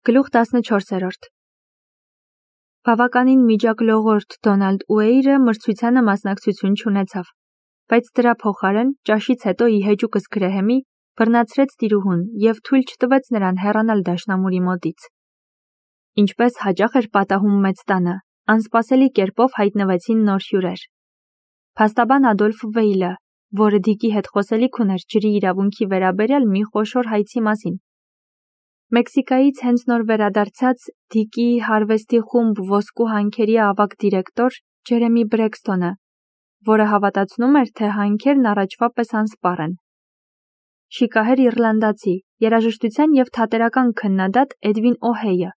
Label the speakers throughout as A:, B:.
A: Գլուխ 14-րդ Բավականին միջակլողորդ Դոնալդ Ուեյրը մրցությանը մասնակցություն չունեցավ, բայց դրա փոխարեն ճաշից հետո ի հեճուկս Գրեհեմի բռնացրեց տիրուհուն և թույլ չտվեց նրան հեռանալ դաշնամուրի մոտից։ Ինչպես հաճախ էր պատահում մեծ տանը, անսպասելի կերպով հայտնվեցին նոր հյուրեր։ Փաստաբան Ադոլֆ Վեյլը, որը Դիկի հետ խոսելիք ուներ ջրի իրավունքի վերաբերյալ մի խոշոր հայցի մասին։ Մեքսիկայից հենց նոր վերադարձած Դիկի հարվեստի խումբ ոսկու հանքերի ավագ դիրեկտոր Ջերեմի Բրեքստոնը, որը հավատացնում էր, թե հանքերն առաջվա պես անսպառ են։ Շիկահեր իռլանդացի, երաժշտության և թատերական քննադատ Էդվին Օհեյը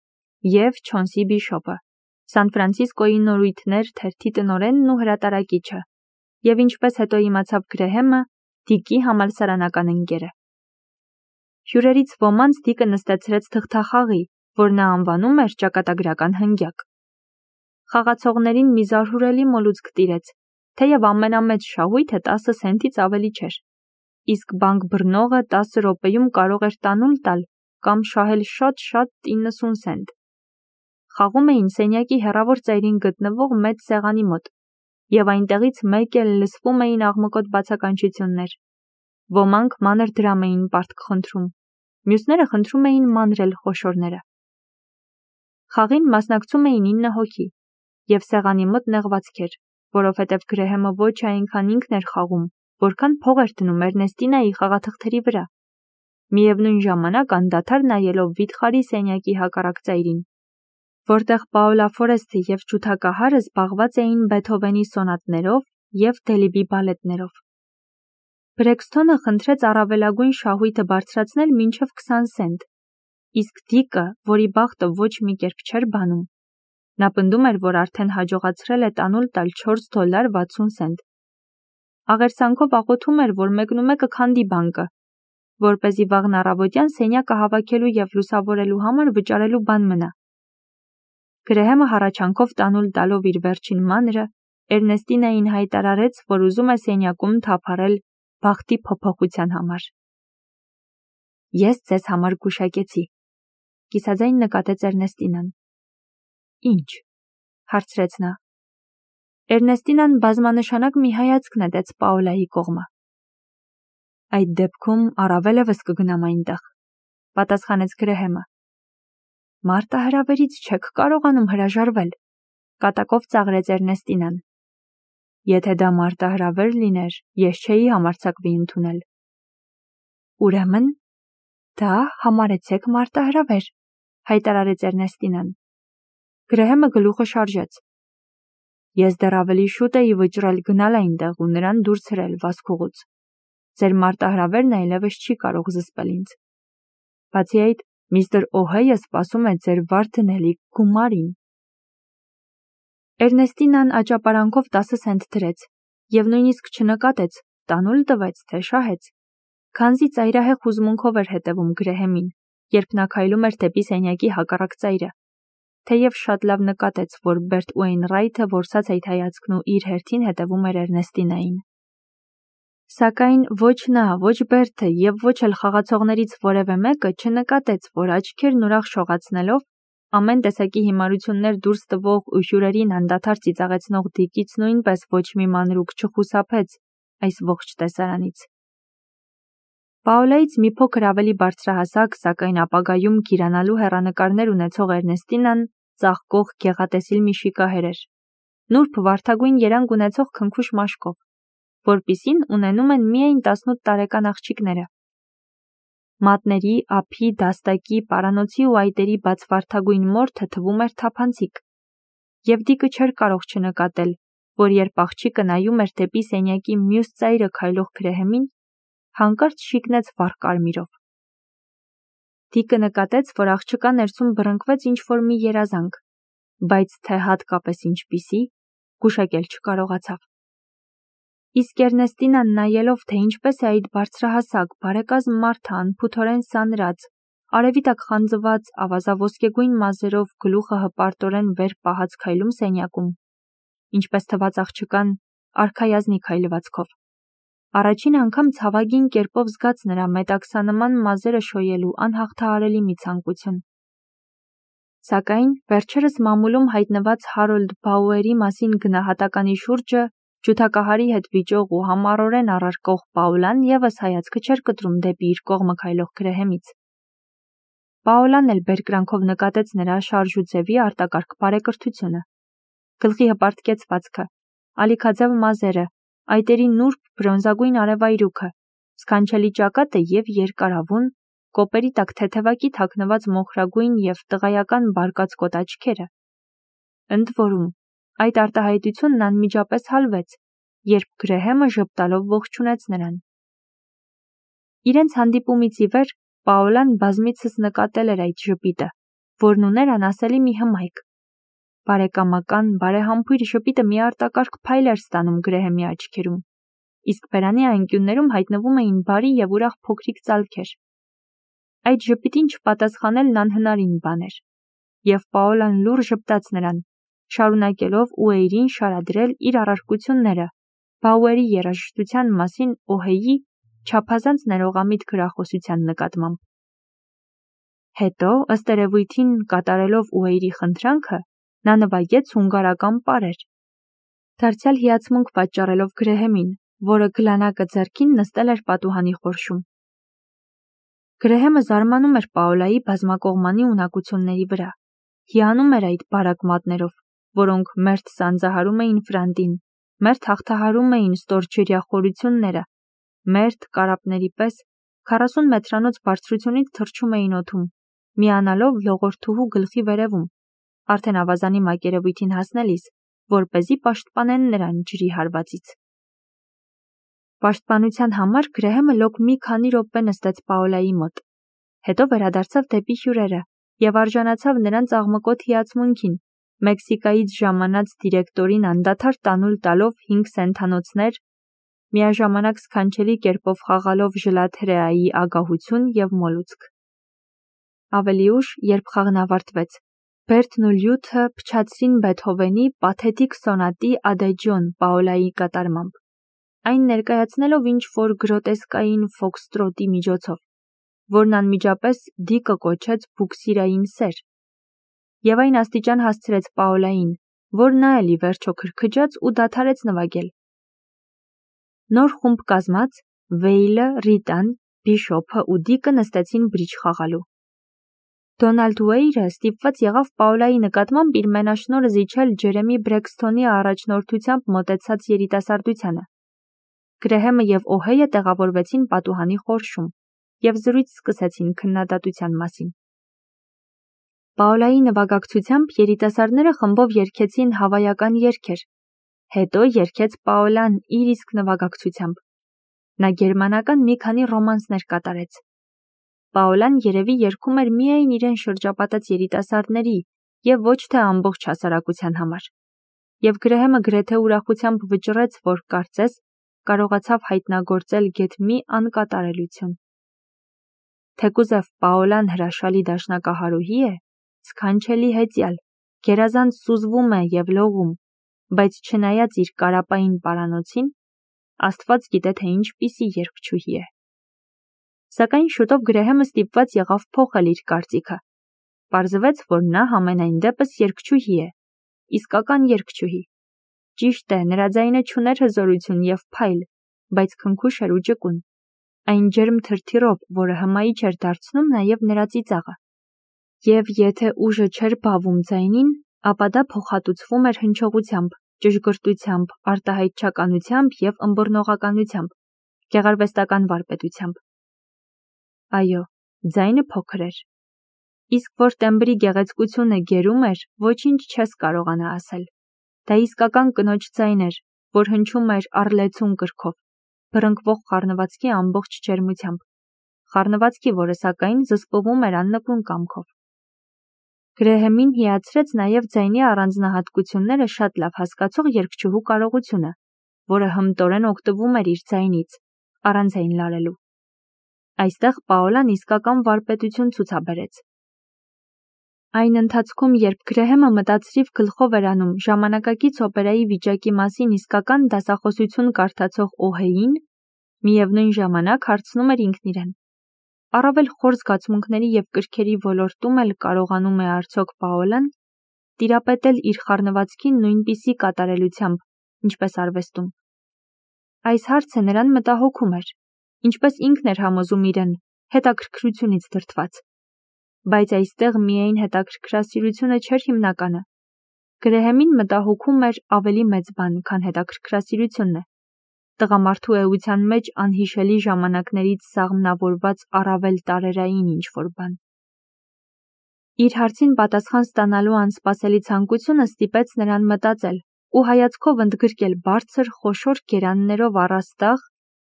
A: և Չոնսի Բիշոպը, Սան Ֆրանցիսկոյի նորույթներ թերթի տնօրենն ու հրատարակիչը, և ինչպես հետո իմացավ Գրեհեմը, Դիկի համալսարանական ընկերը։ Հյուրերից ոմանց Դիկը նստեցրեց թղթախաղի, որ նա անվանում էր ճակատագրական հնգյակ։ Խաղացողներին մի զարհուրելի մոլուցք տիրեց, թեև ամենամեծ շահույթը 10 սենտից ավելի չէր, իսկ բանկ բռնողը 10 րոպեում կարող էր տանուլ տալ կամ շահել շատ-շատ 90 սենտ։ Խաղում էին սենյակի հեռավոր ծայրին գտնվող մեծ սեղանի մոտ, և այնտեղից մեկ էլ լսվում էին աղմկոտ բացականչություններ։ Ոմանք մանր դրամ էին պարտք խնդրում, մյուսները խնդրում էին մանրել խոշորները։ Խաղին մասնակցում էին 9 հոգի, և սեղանի մոտ նեղվածք էր, որովհետև Գրեհեմը ոչ այնքան ինքն էր խաղում, որքան փող էր դնում Էրնեստինայի խաղաթղթերի վրա, միևնույն ժամանակ անդադար նայելով վիթխարի սենյակի հակառակ ծայրին, որտեղ Պաոլա Ֆորեսթը և ջութակահարը զբաղված էին Բեթհովենի սոնատներով և Դելիբի բալետներով։ Բրեքստոնը խնդրեց առավելագույն շահույթը բարձրացնել մինչև 20 սենտ, իսկ Դիկը, որի բախտը ոչ մի կերպ չէր բանում, նա պնդում էր, որ արդեն հաջողացրել է տանուլ տալ $4.60 սենտ։ Աղերսանքով աղոթում էր, որ մեկնումեկը քանդի բանկը, որպեսզի վաղն առավոտյան սենյակը հավաքելու և լուսավորելու համար վճարելու բան մնա։ Գրեհեմը հառաչանքով տանուլ տալով իր վերջին մանրը, Էրնեստինային հայտարարեց, որ ուզում է սենյակում թափառել բախտի փոփոխության համար։ Ես ձեզ համար գուշակեցի, կիսաձայն նկատեց Էրնեստինան։ Ինչ, հարցրեց նա։ Էրնեստինան բազմանշանակ մի հայացք նետեց Պաոլայի կողմը։ Այդ դեպքում առավելևս կգնամ այնտեղ, պատասխանեց Գրեհեմը։ Մարտահրավերից չեք կարողանում հրաժարվել, կատակով ծաղրեց Էրնեստինան։ Եթե դա մարտահրավեր լիներ, ես չէի համարձակվի ընդունել։ Ուրեմն, դա համարեցեք մարտահրավեր, հայտարարեց Էրնեստինան։ Գրեհեմը գլուխը շարժեց։ Ես դեռ ավելի շուտ էի վճռել գնալ այնտեղ ու նրան դուրս հրել վազքուղուց։ Ձեր մարտահրավերն այլևս չի կարող զսպել ինձ։ Բացի այդ, միստր Օհեյը սպասում է ձեր վարդնելիք գումարին։ Էրնեստինան աճապարանքով 10 սենտ դրեց և նույնիսկ չնկատեց, տանուլ տվեց, թե շահեց, քանզի ծայրահեղ հուզմունքով էր հետևում Գրեհեմին, երբ նա քայլում էր դեպի սենյակի հակառակ ծայրը, թեև շատ լավ նկատեց, որ Բերտ Ուեյնրայթը որսաց այդ հայացքն ու իր հերթին հետևում էր Էրնեստինային։ Սակայն ոչ նա, ոչ Բերտը և ոչ էլ խաղացողներից որևէ մեկը չնկատեց, որ աչքերն ուրախ շողացնելով, ամեն տեսակի հիմարություններ դուրս տվող ու հյուրերին անդադար ծիծաղեցնող Դիկից նույնպես ոչ մի մանրուք չխուսափեց այս ողջ տեսարանից։ Պաոլայից մի փոքր ավելի բարձրահասակ, սակայն ապագայում գիրանալու հեռանկարներ ունեցող Էրնեստինան ծաղկող գեղատեսիլ մի շիկահեր էր, նուրբ վարդագույն երանգ ունեցող քնքուշ մաշկով, որպիսին ունենում են միայն 18 տարեկան աղջիկները։ Մատների, ափի, դաստակի, պարանոցի ու այտերի բացվարդագույն մորթը թվում էր թափանցիկ, և Դիկը չէր կարող չնկատել, որ երբ աղջիկը նայում էր դեպի սենյակի մյուս ծայրը քայլող Գրեհեմին, հանկարծ շիկնեց վառ կարմիրով։ Դիկը նկատեց, որ աղջկա ներսում բռնկվեց ինչ-որ մի երազանք, բայց թե հատկապես ինչպիսի, գուշակել չկարողացավ։ Իսկ Էրնեստինան նայելով, թե ինչպես է այդ բարձրահասակ, բարեկազմ մարդը անփութորեն սանրած, արևի տակ խանձված, ավազաոսկեգույն մազերով գլուխը հպարտորեն վեր պահած քայլում սենյակում, ինչպես թվաց աղջկան արքայազնի քայլվածքով, առաջին անգամ ցավագին կերպով զգաց նրա մետաքսանման մազերը շոյելու անհաղթահարելի մի ցանկություն։ Սակայն վերջերս մամուլում հայտնված Հարոլդ Բաուերի մասին գնահատականի շուրջը ջութակահարի հետ վիճող ու համառորեն առարկող Պաուլան ևս հայացքը չէր կտրում դեպի իր կողմը քայլող Գրեհեմից։ Պաուլան էլ բերկրանքով նկատեց նրա շարժուձևի արտակարգ բարեկրթությունը, գլխի հպարտ կեցվածքը, ալիքաձև մազերը, այտերի նուրբ բրոնզագույն արևայրուքը, սքանչելի ճակատը և երկարավուն, կոպերի տակ թեթևակի թաքնված մոխրագույն և տղայական բարկացկոտ աչքերը։ Ընդ որում, այդ արտահայտությունն անմիջապես հալվեց, երբ Գրեհեմը ժպտալով ողջունեց նրան։ Իրենց հանդիպումից ի վեր Պաուլան բազմիցս նկատել էր այդ ժպիտը, որն ուներ անասելի մի հմայք։ Բարեկամական, բարեհամբույր ժպիտը մի արտակարգ փայլ էր ստանում Գրեհեմի աչքերում, իսկ բերանի անկյուններում հայտնվում էին բարի և ուրախ փոքրիկ ծալքեր։ Այդ ժպիտին չպատասխանելն անհնարին բան էր, և Պաուլան լուռ ժպտաց նրան, շարունակելով Ուեյրին շարադրել իր առարկությունները Բաուերի երաժշտության մասին Օհեյի չափազանց ներողամիտ գրախոսության նկատմամբ։ Հետո, ըստ երևույթին կատարելով Ուեյրի խնդրանքը, նա նվագեց հունգարական պարեր, դարձյալ հիացմունք պատճառելով Գրեհեմին, որը գլանակը ձեռքին նստել էր պատուհանի խորշում։ Գրեհեմը զարմանում էր Պաուլայի բազմակողմանի ունակությունների վրա, հիանում էր այդ բարակ մատներով, որոնք մերթ սանձահարում էին Ֆրանտին, մերթ հաղթահարում էին ստորջրյա խորությունները, մերթ կարապների պես 40 մետրանոց բարձրությունից թռչում էին օդում, միանալով լողորդուհու գլխի վերևում, արդեն ավազանի մակերևույթին հասնելիս, որպեսզի պաշտպանեն նրան ջրի հարվածից։ Պաշտպանության համար Գրեհեմը լոկ մի քանի րոպե նստեց Պաուլայի մոտ, հետո վերադարձավ դեպի հյուրերը և արժանացավ նրանց աղմկոտ հիացմունքին, Մեքսիկայից ժամանած դիրեկտորին անդադար տանուլ տալով 5 սենթանոցներ, միաժամանակ սքանչելի կերպով խաղալով ժլաթրեայի ագահություն և մոլուցք։ Ավելի ուշ, երբ խաղն ավարտվեց, Բերթն ու Լյութը փչացրին Բեթհովենի պաթետիկ սոնատի ադեջիոն Պաուլայի կատարմամբ, այն ներկայացնելով ինչ-որ գրոտեսկային ֆոքստրոտի միջոցով, որն անմիջապես Դիկը կոչեց բուքսիրային սեր, և այն աստիճան հասցրեց Պաուլային, որ նա էլ ի վերջո քրքջաց ու դադարեց նվագել։ Նոր խումբ կազմած, Վեյլը, Ռիտան, Բիշոփը ու Դիկը նստեցին բրիջ խաղալու։ Դոնալդ Ուեյրը ստիպված եղավ Պաուլայի նկատմամբ իր մենաշնորհը զիջել Ջերեմի Բրեքսթոնի առաջնորդությամբ մոտեցած երիտասարդությանը։ Գրեհեմը և Օհեյը տեղավորվեցին պատուհանի խորշում և զրույց սկսեցին քննադատության մասին։ Պաուլայի նվագակցությամբ երիտասարդները խմբով երգեցին հավայական երգեր, հետո երգեց Պաուլան իր իսկ նվագակցությամբ։ Նա գերմանական մի քանի ռոմանսներ կատարեց։ Պաուլան երևի երգում էր միայն իրեն շրջապատած երիտասարդների և ոչ թե ամբողջ հասարակության համար, և Գրեհեմը գրեթե ուրախությամբ վճռեց, որ կարծես կարողացավ հայտնագործել գեթ մի անկատարելություն։ Թեկուզև Պաուլան հրաշալի դաշնակահարուհի է, սքանչելի հեծյալ, գերազանց սուզվում է և լողում, բայց չնայած իր կարապային պարանոցին, Աստված գիտե թե ինչպիսի երգչուհի է։ Սակայն շուտով Գրեհեմը ստիպված եղավ փոխել իր կարծիքը։ Պարզվեց, որ նա համենայն դեպս երգչուհի է, իսկական երգչուհի։ Ճիշտ է, նրա ձայնը չուներ հզորություն և փայլ, բայց քնքուշ էր ու ճկուն, այն ջերմ թրթիռով, որը հմայիչ էր դարձնում նաև նրա ծիծաղը։ Եվ եթե ուժը չէր բավում ձայնին, ապա դա փոխհատուցվում էր հնչողությամբ, ճշգրտությամբ, արտահայտչականությամբ և ըմբռնողականությամբ, գեղարվեստական վարպետությամբ։ Այո, ձայնը փոքր էր, իսկ որ տեմբրի գեղեցկությունը գերում էր, ոչինչ չես կարողանա ասել։ Դա իսկական կնոջ ձայն էր, որ հնչում էր առլեցուն կրքով, բռնկվող խառնվածքի ամբողջ ջերմությամբ, խառնվածքի, որը սակայն զսպվում էր աննկուն կամքով։ Գրեհեմին հիացրեց նաև ձայնի առանձնահատկությունները շատ լավ հասկացող երգչուհու կարողությունը, որը հմտորեն օգտվում էր իր ձայնից, առանց այն լարելու։ Այստեղ Պաուլան իսկական վարպետություն ցուցաբերեց։ Այն ընթացքում, երբ Գրեհեմը մտածրիվ գլխով էր անում ժամանակակից օպերայի վիճակի մասին իսկական դասախոսություն կարդացող Օհեյին, միևնույն ժամանակ հարցնում էր ինքն իրեն. առավել խոր զգացմունքների և կրքերի ոլորտում էլ կարողանում է արդյոք Պաոլան տիրապետել իր խառնվածքին նույնպիսի կատարելությամբ, ինչպես արվեստում։ Այս հարցը նրան մտահոգում էր, ինչպես ինքն էր համոզում իրեն, հետաքրքրությունից դրդված։ Բայց այստեղ միայն հետաքրքրասիրությունը չէր հիմնականը։ Գրեհեմին մտահոգում էր ավելի մեծ բան, քան հետաքրքրասիրությունն է։ Տղամարդու էության մեջ անհիշելի ժամանակներից սաղմնավորված առավել տարերային ինչ-որ բան։ Իր հարցին պատասխան ստանալու անսպասելի ցանկությունը ստիպեց նրան մտածել ու հայացքով ընդգրկել բարձր խոշոր գերաններով առաստաղ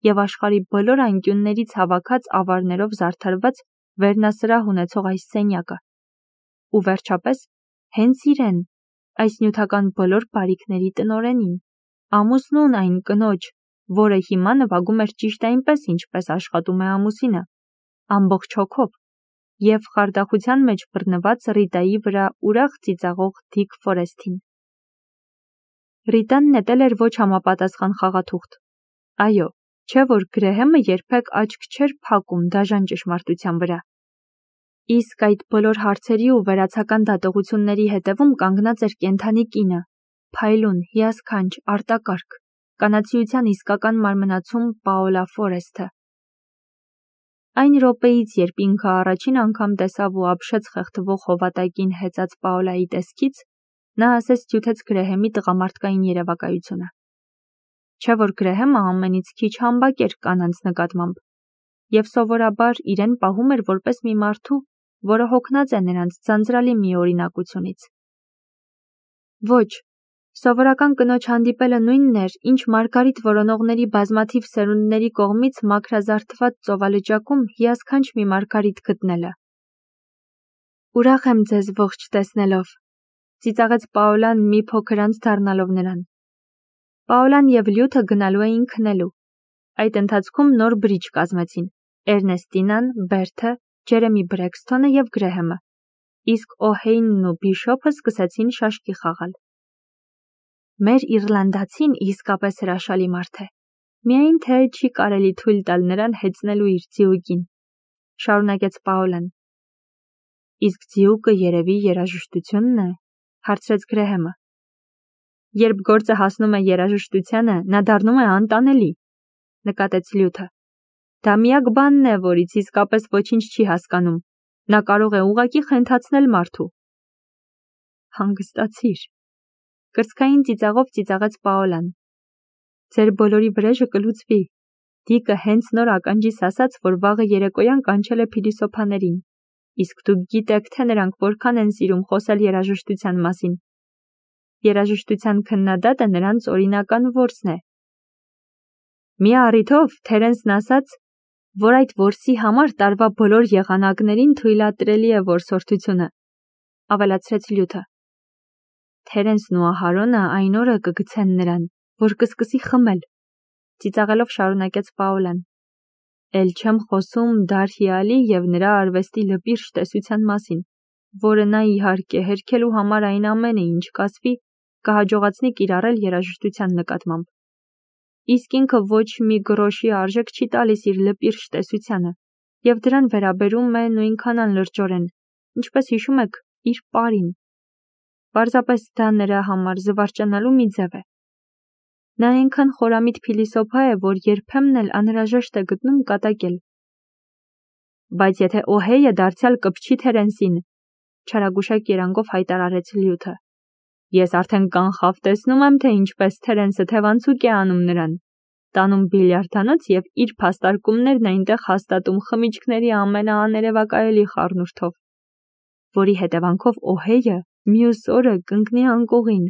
A: և աշխարհի բոլոր անկյուններից հավաքած ավարներով զարդարված վերնասրահ ունեցող այս սենյակը։ Ու վերջապես, հենց իրեն, այս նյութական բոլոր բարիքների տնօրենին, ամուսնուն այն կնոջ, որը հիմա նվագում էր ճիշտ այնպես, ինչպես աշխատում է ամուսինը, ամբողջ հոգով, և խարդախության մեջ բռնված Ռիտայի վրա ուրախ ծիծաղող Դիկ Ֆորեսթին։ Ռիտան նետել էր ոչ համապատասխան խաղաթուղթ։ Այո, չէ՞ որ Գրեհեմը երբեք աչք չէր փակում դաժան ճշմարտության վրա։ Իսկ այդ բոլոր հարցերի ու վերացական դատողությունների հետևում կանգնած էր կենդանի կինը, փայլուն, հիասքանչ, արտակարգ, կանացիության իսկական մարմնացում Պաոլա Ֆորեսթը։ Այն րոպեից, երբ ինքը առաջին անգամ տեսավ ու ապշեց խեղդվող հովատակին հեծած Պաոլայի տեսքից, նա ասես թյութեց Գրեհեմի տղամարդկային երևակայությունը։ Չէ՞ որ Գրեհեմը ամենից քիչ համբակ էր կանանց նկատմամբ, և սովորաբար իրեն պահում էր որպես մի մարդու, որը հոգնած է նրանց ձանձրալի միօրինակությունից։ Ոչ, սովորական կնոջ հանդիպելը նույնն էր, ինչ մարգարիտ որոնողների բազմաթիվ սերունդների կողմից մաքրազարդված ծովալճակում հիասքանչ մի մարգարիտ գտնելը։ Ուրախ եմ ձեզ ողջ տեսնելով, ծիծաղեց Պաոլան մի փոքր անց դառնալով նրան։ Պաոլան և Լյութը գնալու էին քնելու։ Այդ ընթացքում նոր բրիջ կազմեցին Էրնեստինան, Բերթը, Ջերեմի Բրեքսթոնը և Գրեհեմը, իսկ Օհեյնն ու Բիշոփը սկսեցին շաշկի խաղալ։ Մեր իռլանդացին իսկապես հրաշալի մարդ է, միայն թե չի կարելի թույլ տալ նրան հեծնելու իր ձիուկին, շարունակեց Պաոլան։ Իսկ ձիուկը երևի երաժշտությունն է, հարցրեց Գրեհեմը։ Երբ գործը հասնում է երաժշտությանը, նա դառնում է անտանելի, նկատեց Լյութը։ Դա միակ բանն է, որից իսկապես ոչինչ չի հասկանում։ Նա կարող է ուղղակի խենթացնել մարդու։ Հանգստացիր, կրծքային ծիծաղով ծիծաղեց Պաոլան։ Ձեր բոլորի վրեժը կլուծվի։ Դիկը հենց նոր ականջիս ասաց, որ վաղը երեկոյան կանչել է փիլիսոփաներին, իսկ դուք գիտեք, թե նրանք որքան են սիրում խոսել երաժշտության մասին։ Երաժշտության քննադատը նրանց օրինական որսն է։ Մի առիթով Թերենսն ասաց, որ այդ որսի համար տարվա բոլոր եղանակներին թույլատրելի է որսորդությունը, ավելացրեց Լյութը։ Թերենսն ու Ահարոնը այն օրը կգցեն նրան, որ կսկսի խմել, ծիծաղելով շարունակեց Պաոլան։ Էլ չեմ խոսում Դարհիալի և նրա արվեստի լպիրշ տեսության մասին, որը նա իհարկե հերքելու համար այն ամենը, ինչ կասվի, կհաջողացնի կիրառել երաժշտության նկատմամբ։ Իսկ ինքը ոչ մի գրոշի արժեք չի տալիս իր լպիրշ տեսությանը, և դրան վերաբերում է նույնքան անլրջորեն, ինչպես հիշում եք, իր պարին։ Պարզապես դա նրա համար զվարճանալու մի ձև է։ Նա այնքան խորամիտ փիլիսոփա է, որ երբեմն էլ անհրաժեշտ է գտնում կատակել։ Բայց եթե Օհեյը դարձյալ կպչի Թերենսին, չարագուշակ երանգով հայտարարեց Լյութը, ես արդեն կանխավ տեսնում եմ, թե ինչպես Թերենսը թևանցուկ է անում նրան, տանում բիլիարդանոց և իր փաստարկումներն այնտեղ հաստատում խմիչքների ամենաաներևակայելի խառնուրդով, որի հետևանքով Օհեյը մյուս օրը կընկնի անկողին,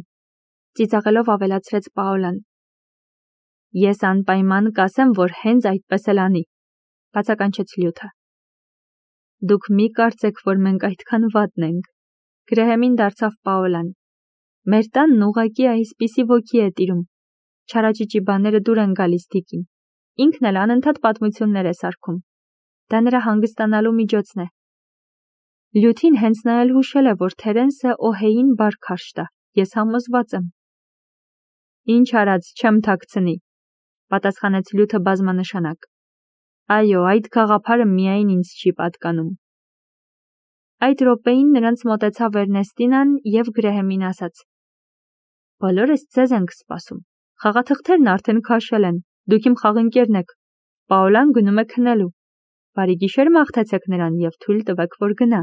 A: ծիծաղելով ավելացրեց Պաոլան։ Ես անպայման կասեմ, որ հենց այդպես էլ անի, բացականչեց Լյութը։ Դուք մի կարծեք, որ մենք այդքան վատն ենք, Գրեհեմին դարձավ Պաոլան։ Մեր տանն ուղղակի այսպիսի ոգի է տիրում, չարաճճի բաները դուր են գալիս Դիկին, ինքն էլ անընդհատ պատմություններ է սարքում, դա նրա հանգստանալու միջոցն է։ Լյութին հենց նա էլ հուշել է, որ Թերենսը Օհեյին բար քարշ տա, ես համոզված եմ։ Ինչ արած չեմ թաքցնի, պատասխանեց Լյութը բազմանշանակ։ Այո, այդ գաղափարը միայն ինձ չի պատկանում։ Այդ րոպեին նրանց մոտեցավ Էրնեստինան և Գրեհեմին ասաց. Բոլորս ձեզ ենք սպասում։ Խաղաթղթերն արդեն քաշել են, դուք իմ խաղընկերն եք։ Պաոլան գնում է քնելու։ Բարի գիշեր մաղթեցեք նրան և թույլ տվեք, որ գնա։